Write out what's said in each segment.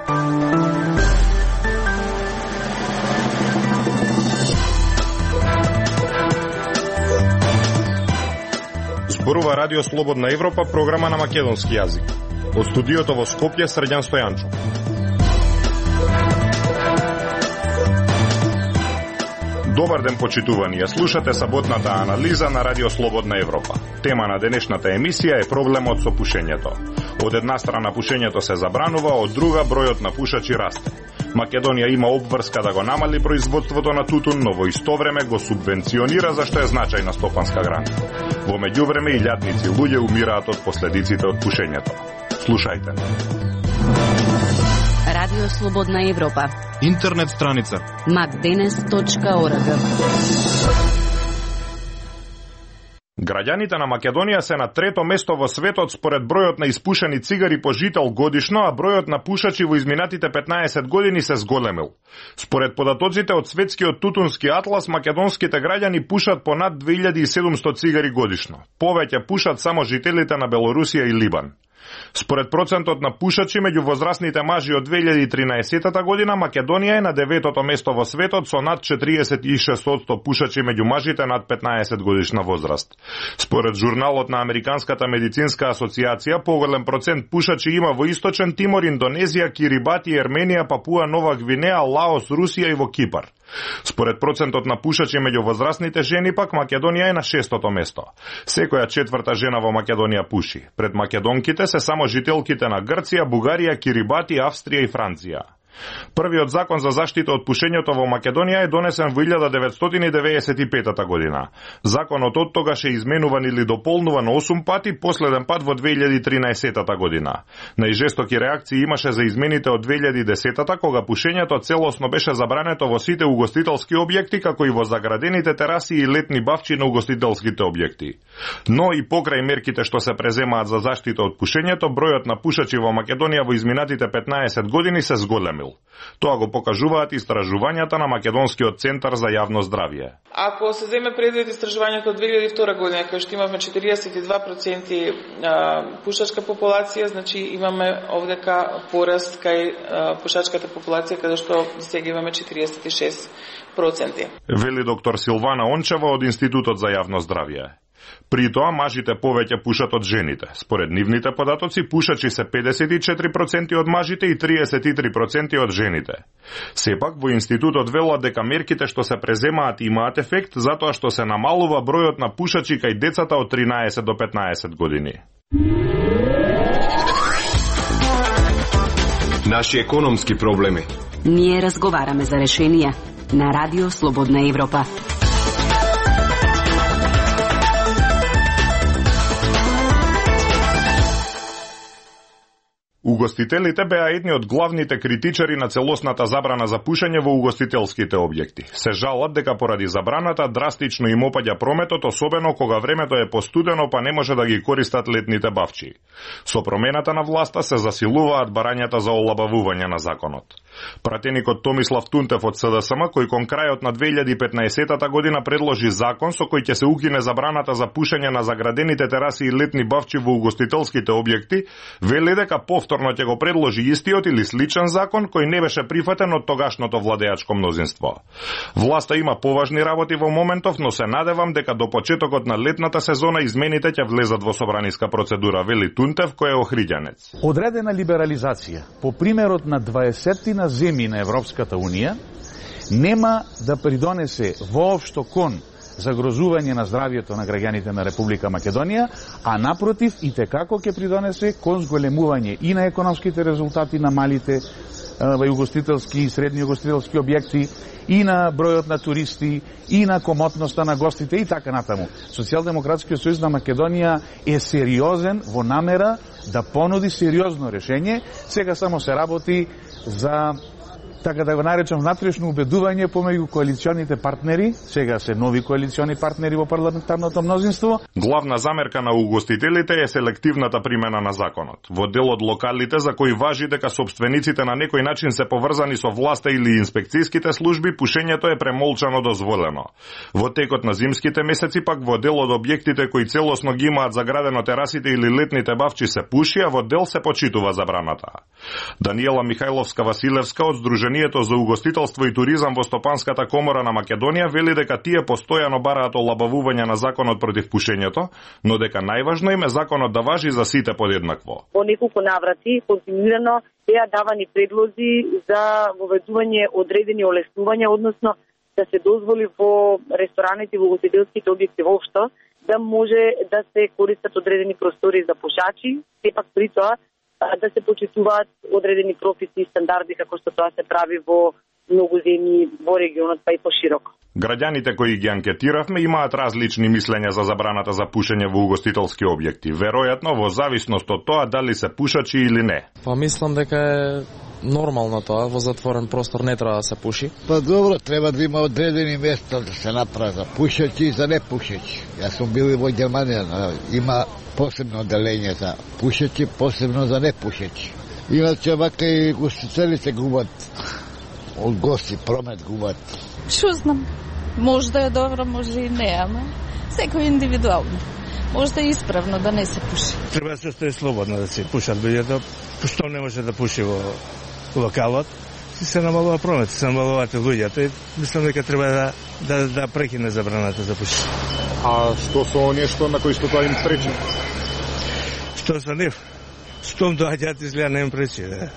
Зборува Радио Слободна Европа, програма на македонски јазик. Од студиото во Скопје, Срđan Стојанчов. Добар ден, почитувани. Ја слушате саботната анализа на Радио Слободна Европа. Тема на денешната емисија е проблемот со пушењето. Од една страна пушењето се забранува, од друга бројот на пушачи расте. Македонија има обврска да го намали производството на тутун, но во исто време го субвенционира, зашто е значајна стопанска грана. Во меѓувреме илјадници луѓе умираат од последиците од пушењето. Слушајте. Радио Слободна Европа. Интернет страница macdenes.org. Граѓаните на Македонија се на трето место во светот според бројот на испушени цигари по жител годишно, а бројот на пушачи во изминатите 15 години се зголемил. Според податоците од Светскиот тутунски атлас, македонските граѓани пушат по над 2700 цигари годишно. Повеќе пушат само жителите на Белорусија и Либан. Според процентот на пушачи меѓу возрастните мажи од 2013 година, Македонија е на 9-то место во светот со над 46% пушачи меѓу мажите над 15 годишна возраст. Според журналот на Американската медицинска асоциација, поголем процент пушачи има во Источен Тимор, Индонезија, Кирибати, Ерменија, Папуа Нова Гвинеа, Лаос, Русија и во Кипар. Според процентот на пушачи меѓу возрастните жени пак, Македонија е на 6-то место. Секоја четврта жена во Македонија пуши. Пред македонките се само жителките на Грција, Бугарија, Кирибати, Австрија и Франција. Првиот закон за заштита од пушењето во Македонија е донесен во 1995 година. Законот од тогаш е изменуван или дополнуван 8 пати, последен пат во 2013 година. Најжестоки реакции имаше за измените од 2010 кога пушењето целосно беше забрането во сите угостителски објекти, како и во заградените тераси и летни бавчи на угостителските објекти. Но и покрај мерките што се преземаат за заштита од пушењето, бројот на пушачи во Македонија во изминатите 15 години се зголемил. Тоа го покажуваат истражувањата на Македонскиот центар за јавно здравје. Ако се земе предвид истражувањето од 2002 година, кај што имавме 42% пушачка популација, значи имаме овдека пораст кај пушачката популација, каде што сега имаме 46%. Вели доктор Силвана Ончева од Институтот за јавно здравје. При тоа мажите повеќе пушат од жените. Според нивните податоци, пушачи се 54% од мажите и 33% од жените. Сепак, во Институтот велат дека мерките што се преземаат имаат ефект, затоа што се намалува бројот на пушачи кај децата од 13 до 15 години. Наши економски проблеми. Ние разговараме за решенија на Радио Слободна Европа. Угостителите беа едни од главните критичари на целосната забрана за пушење во угостителските објекти. Се жалат дека поради забраната драстично им опаѓа прометот, особено кога времето е постудено па не може да ги користат летните бавчи. Со промената на власта се засилуваат барањата за олабавување на законот. Пратеникот Томислав Тунтев од СДСМ, кој кон крајот на 2015 година предложи закон со кој ќе се укине забраната за пушење на заградените тераси и летни бавчи во угостителските објекти, вели дека повторно ќе го предложи истиот или сличен закон кој не беше прифатен од тогашното владеачко мнозинство. Власта има поважни работи во моментов, но се надевам дека до почетокот на летната сезона измените ќе влезат во собраниска процедура, вели Тунтев, кој е охриѓанец. Одредена либерализација по примерот на 20 земји на Европската Унија нема да придонесе воопшто кон загрозување на здравјето на граѓаните на Република Македонија, а напротив и текако ќе придонесе кон зголемување и на економските резултати на малите угостителски и средни угостителски објекти, и на бројот на туристи, и на комотноста на гостите и така натаму. Социјалдемократскиот сојуз на Македонија е сериозен во намера да понуди сериозно решење. Сега само се работи за така да го наречам внатрешно убедување помеѓу коалиционите партнери, сега се нови коалициони партнери во парламентарното мнозинство. Главна замерка на угостителите е селективната примена на законот. Во дел од локалите за кои важи дека собствениците на некој начин се поврзани со власта или инспекцијските служби, пушењето е премолчано дозволено. Во текот на зимските месеци пак во дел од објектите кои целосно ги имаат заградено терасите или летните бавчи се пуши, а во дел се почитува забраната. Даниела Михајловска-Василевска од Сдруженијето за угостителство и туризам во Стопанската комора на Македонија вели дека тие постојано бараат олабавување на законот против пушењето, но дека најважно им е законот да важи за сите подеднакво. По неколку наврати континуирано беа давани предлози за воведување одредени олеснувања, односно да се дозволи во рестораните и во угостителските објекти воопшто да може да се користат одредени простори за пушачи, сепак при тоа да се почитуваат одредени прописи и стандарди како што тоа се прави во многу земји во регионот, па и пошироко. Граѓаните кои ги анкетиравме имаат различни мислења за забраната за пушење во угостителски објекти, веројатно во зависност од тоа дали се пушачи или не. Па мислам дека е нормално тоа, во затворен простор не треба да се пуши. Па добро, треба да има одредени места да се направи за пушачи и за непушачи. Јас сум бил и во Германија, има посебно одделение за пушачи, посебно за непушачи. Иначе вака и гостителите губат од гости, промет губат. Шо знам, може да е добро, може и не, ама секој индивидуално. Може да е исправно да не се пуши. Треба да се остави слободно да се пушат луѓето, што не може да пуши во локалот. Се намалува промет, се намалуваат луѓето и мислам дека треба да прекине забраната за пушење. А што со нешто на кој што тоа им пречи? Што со нив? Штом доаѓаат изгледа не им пречи, да.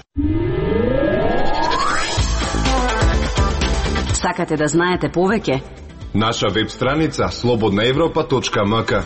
Сакате да знаете повеќе? Наша веб страница slobodnaevropa.mk.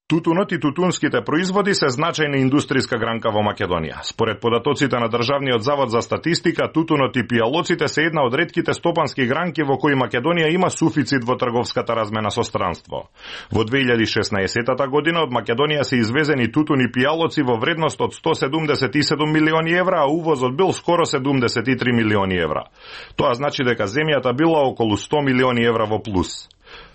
Тутунот и тутунските производи се значајна индустријска гранка во Македонија. Според податоците на Државниот завод за статистика, тутунот и пијалоците се една од ретките стопански гранки во кои Македонија има суфицит во трговската размена со странство. Во 2016 година од Македонија се извезени тутун и пијалоци во вредност од 177 милиони евра, а увозот бил скоро 73 милиони евра. Тоа значи дека земјата била околу 100 милиони евра во плюс.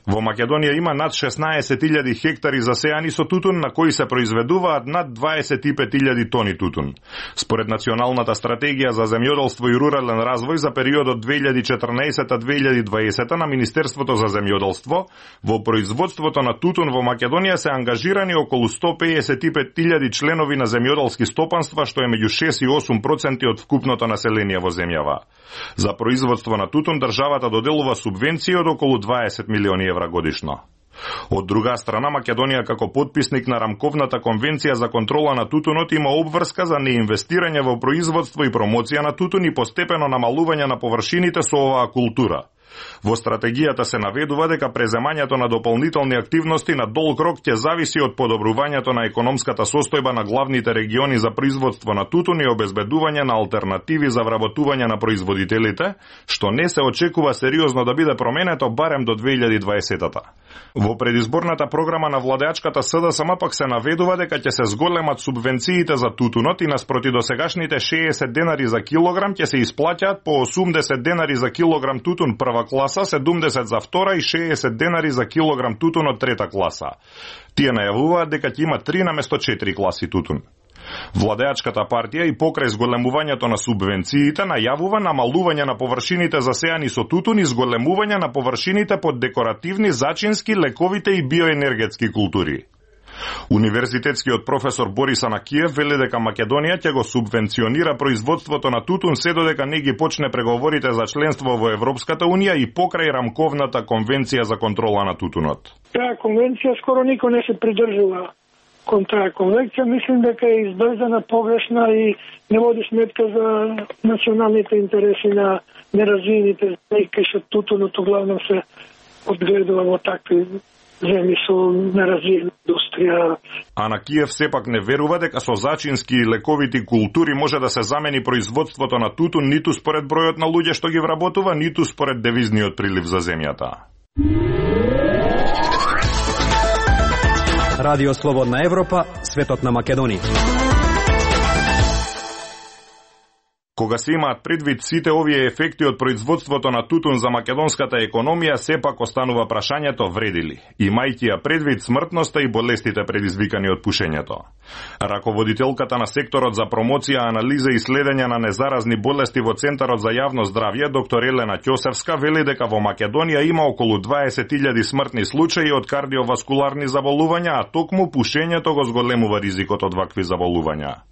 Во Македонија има над 16.000 хектари засејани со тутун, на кои се произведуваат над 25.000 тони тутун. Според Националната стратегија за земјоделство и рурален развој за периодот 2014-2020 на Министерството за земјоделство, во производството на тутун во Македонија се ангажирани околу 155.000 членови на земјоделски стопанства, што е меѓу 6 и 8% од вкупното население во земјава. За производство на тутун државата доделува субвенции од околу 20 милиони евра годишно. Од друга страна, Македонија како потписник на Рамковната конвенција за контрола на тутунот има обврска за неинвестирање во производство и промоција на тутун и постепено намалување на површините со оваа култура. Во стратегијата се наведува дека преземањето на дополнителни активности на долг рок ќе зависи од подобрувањето на економската состојба на главните региони за производство на тутун и обезбедување на алтернативи за вработување на производителите, што не се очекува сериозно да биде променето барем до 2020-та. Во предизборната програма на владеачката СДСМ пак се наведува дека ќе се зголемат субвенциите за тутунот и наспроти досегашните 60 денари за килограм ќе се исплаќаат по 80 денари за килограм тутун прва класа, 70 за втора и 60 денари за килограм тутун од трета класа. Тие најавуваат дека ќе има 3 наместо 4 класи тутун. Владеачката партија и покрај зголемувањето на субвенциите најавува намалување на површините засејани со тутун и зголемување на површините под декоративни, зачински, лековите и биоенергетски култури. Универзитетскиот професор Борис Анакиев вели дека Македонија ќе го субвенционира производството на тутун се додека не ги почне преговорите за членство во Европската унија и покрај Рамковната конвенција за контрола на тутунот. Таа конвенција скоро никој не се придржува кон таа конвенција. Мислим дека е избрзана, погрешна и не води сметка за националните интереси на неразвиените земји, кај што тутунот главно се одгледува во такви земји со неразвиена индустрија. Анакиев сепак не верува дека со зачински и лековити култури може да се замени производството на тутун ниту според бројот на луѓе што ги вработува, ниту според девизниот прилив за земјата. Радио Слободна Европа, светот на Македонија. Кога се имаат предвид сите овие ефекти од производството на тутун за македонската економија, сепак останува прашањето вреди ли, имајќи ја предвид смртноста и болестите предизвикани од пушењето. Раководителката на секторот за промоција, анализа и следење на незаразни болести во Центарот за јавно здравје, доктор Елена Ќосевска, вели дека во Македонија има околу 20.000 смртни случаи од кардиоваскуларни заболувања, а токму пушењето го зголемува ризикот од вакви заболувања.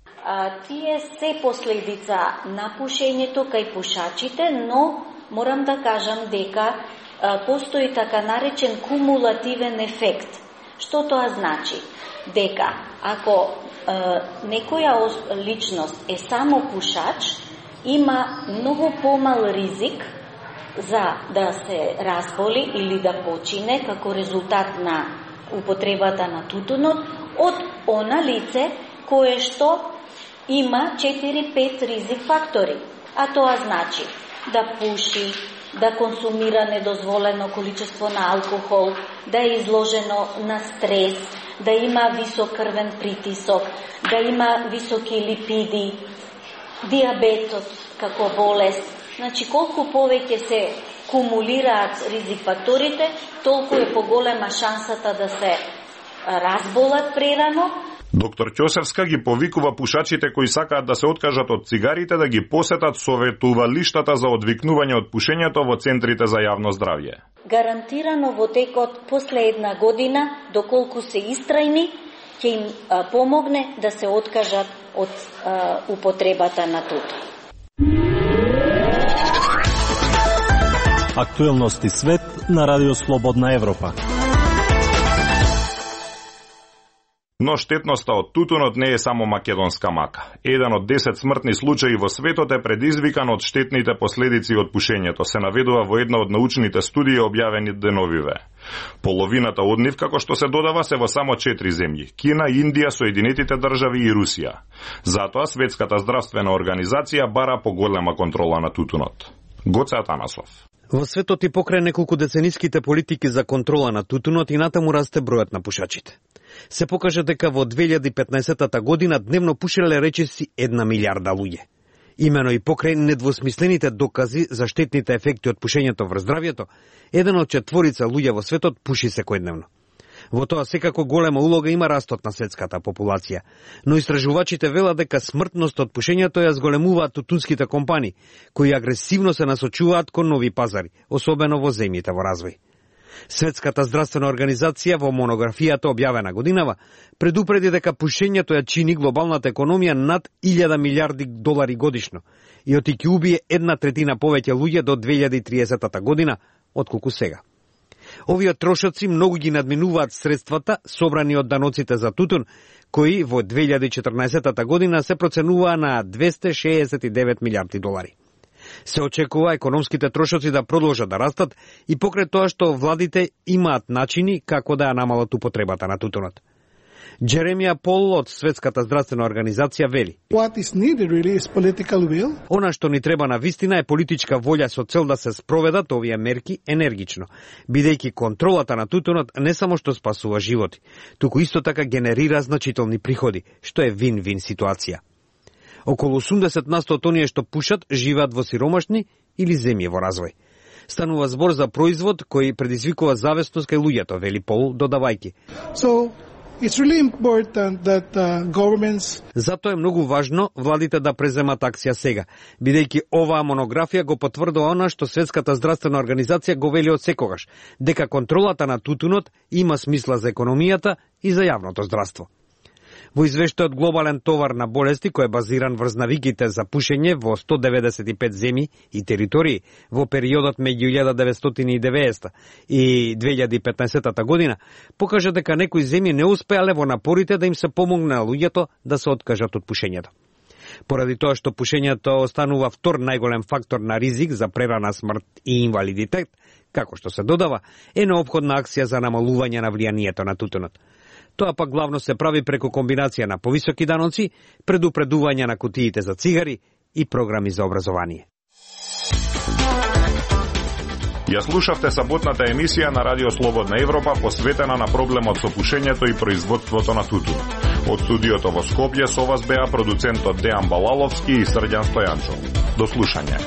Тие се последица на пушењето кај пушачите, но морам да кажам дека постои така наречен кумулативен ефект. Што тоа значи? Дека ако некоја личност е само пушач, има многу помал ризик за да се разболи или да почине како резултат на употребата на тутунот од она лице кое што има 4-5 ризик фактори. А тоа значи да пуши, да консумира недозволено количество на алкохол, да е изложено на стрес, да има висок крвен притисок, да има високи липиди, диабетот како болест. Значи, колку повеќе се кумулираат ризик факторите, толку е поголема шансата да се разболат прерано. Доктор Ќосевска ги повикува пушачите кои сакаат да се откажат од цигарите да ги посетат советувалиштата за одвикнување од пушењето во центрите за јавно здравје. Гарантирано во текот после една година, доколку се истрајни, ќе им помогне да се откажат од употребата на тутун. Актуелности свет на Радио Слободна Европа. Но штетноста од тутунот не е само македонска мака. Еден од 10 смртни случаи во светот е предизвикан од штетните последици од пушењето, се наведува во една од научните студии објавени деновиве. Половината од нив, како што се додава, се во само 4 земји: Кина, Индија, Соединетите држави и Русија. Затоа Светската здравствена организација бара поголема контрола на тутунот. Гоце Атанасов. Во светот и покрај неколку децениските политики за контрола на тутунот и натаму расте бројот на пушачите. Се покажа дека во 2015 година дневно пушеле речиси 1 милиарда луѓе. Имено и покрај недвосмислените докази за штетните ефекти од пушењето врз здравјето, еден од 4 луѓе во светот пуши секојдневно. Во тоа секако голема улога има растот на светската популација, но истражувачите велат дека смртност од пушењето ја зголемуваат тутунските компании, кои агресивно се насочуваат кон нови пазари, особено во земјите во развој. Светската здравствена организација во монографијата објавена годинава предупреди дека пушењето ја чини глобалната економија над 1000 милиарди долари годишно и оти ќе убие 1/3 повеќе луѓе до 2030 година отколку сега. Овие трошоци многу ги надминуваат средствата собрани од даноците за тутун, кои во 2014 година се проценуваа на 269 милиарди долари. Се очекува економските трошоци да продолжат да растат и покрај тоа што владите имаат начини како да ја намалат употребата на тутунот. Джеремија Пол од Светската здравствена организација вели: Она што ни треба на вистина е политичка волја со цел да се спроведат овие мерки енергично, бидејќи контролата на тутунот не само што спасува животи, туку исто така генерира значителни приходи, што е вин-вин ситуација. Околу 80% од оние што пушат живеат во сиромашни или земји во развој. Станува збор за производ кој предизвикува зависност кај луѓето, вели Пол, додавајќи. It's really important that governments... Затоа е многу важно владите да преземат акција сега, бидејќи оваа монографија го потврдува она што Светската здравствена организација го вели од секогаш, дека контролата на тутунот има смисла за економијата и за јавното здравство. Во извештајот Глобален товар на болести, кој е базиран врз навиките за пушење во 195 земји и територии во периодот меѓу 1990 и 2015 година, покажа дека некои земји не успеале во напорите да им се помогне на луѓето да се откажат од пушењето. Поради тоа што пушењето останува втор најголем фактор на ризик за прерана смрт и инвалидитет, како што се додава, е неопходна акција за намалување на влијанието на тутунот. Тоа пак главно се прави преку комбинација на повисоки даноци, предупредување на кутиите за цигари и програми за образование. Ја слушавте саботната емисија на Радио Слободна Европа посветена на проблемот со пушењето и производството на тутун. Од студиото во Скопје со вас беа продуцентот Дејан Балаловски и Срđan Стојанчов. До слушање.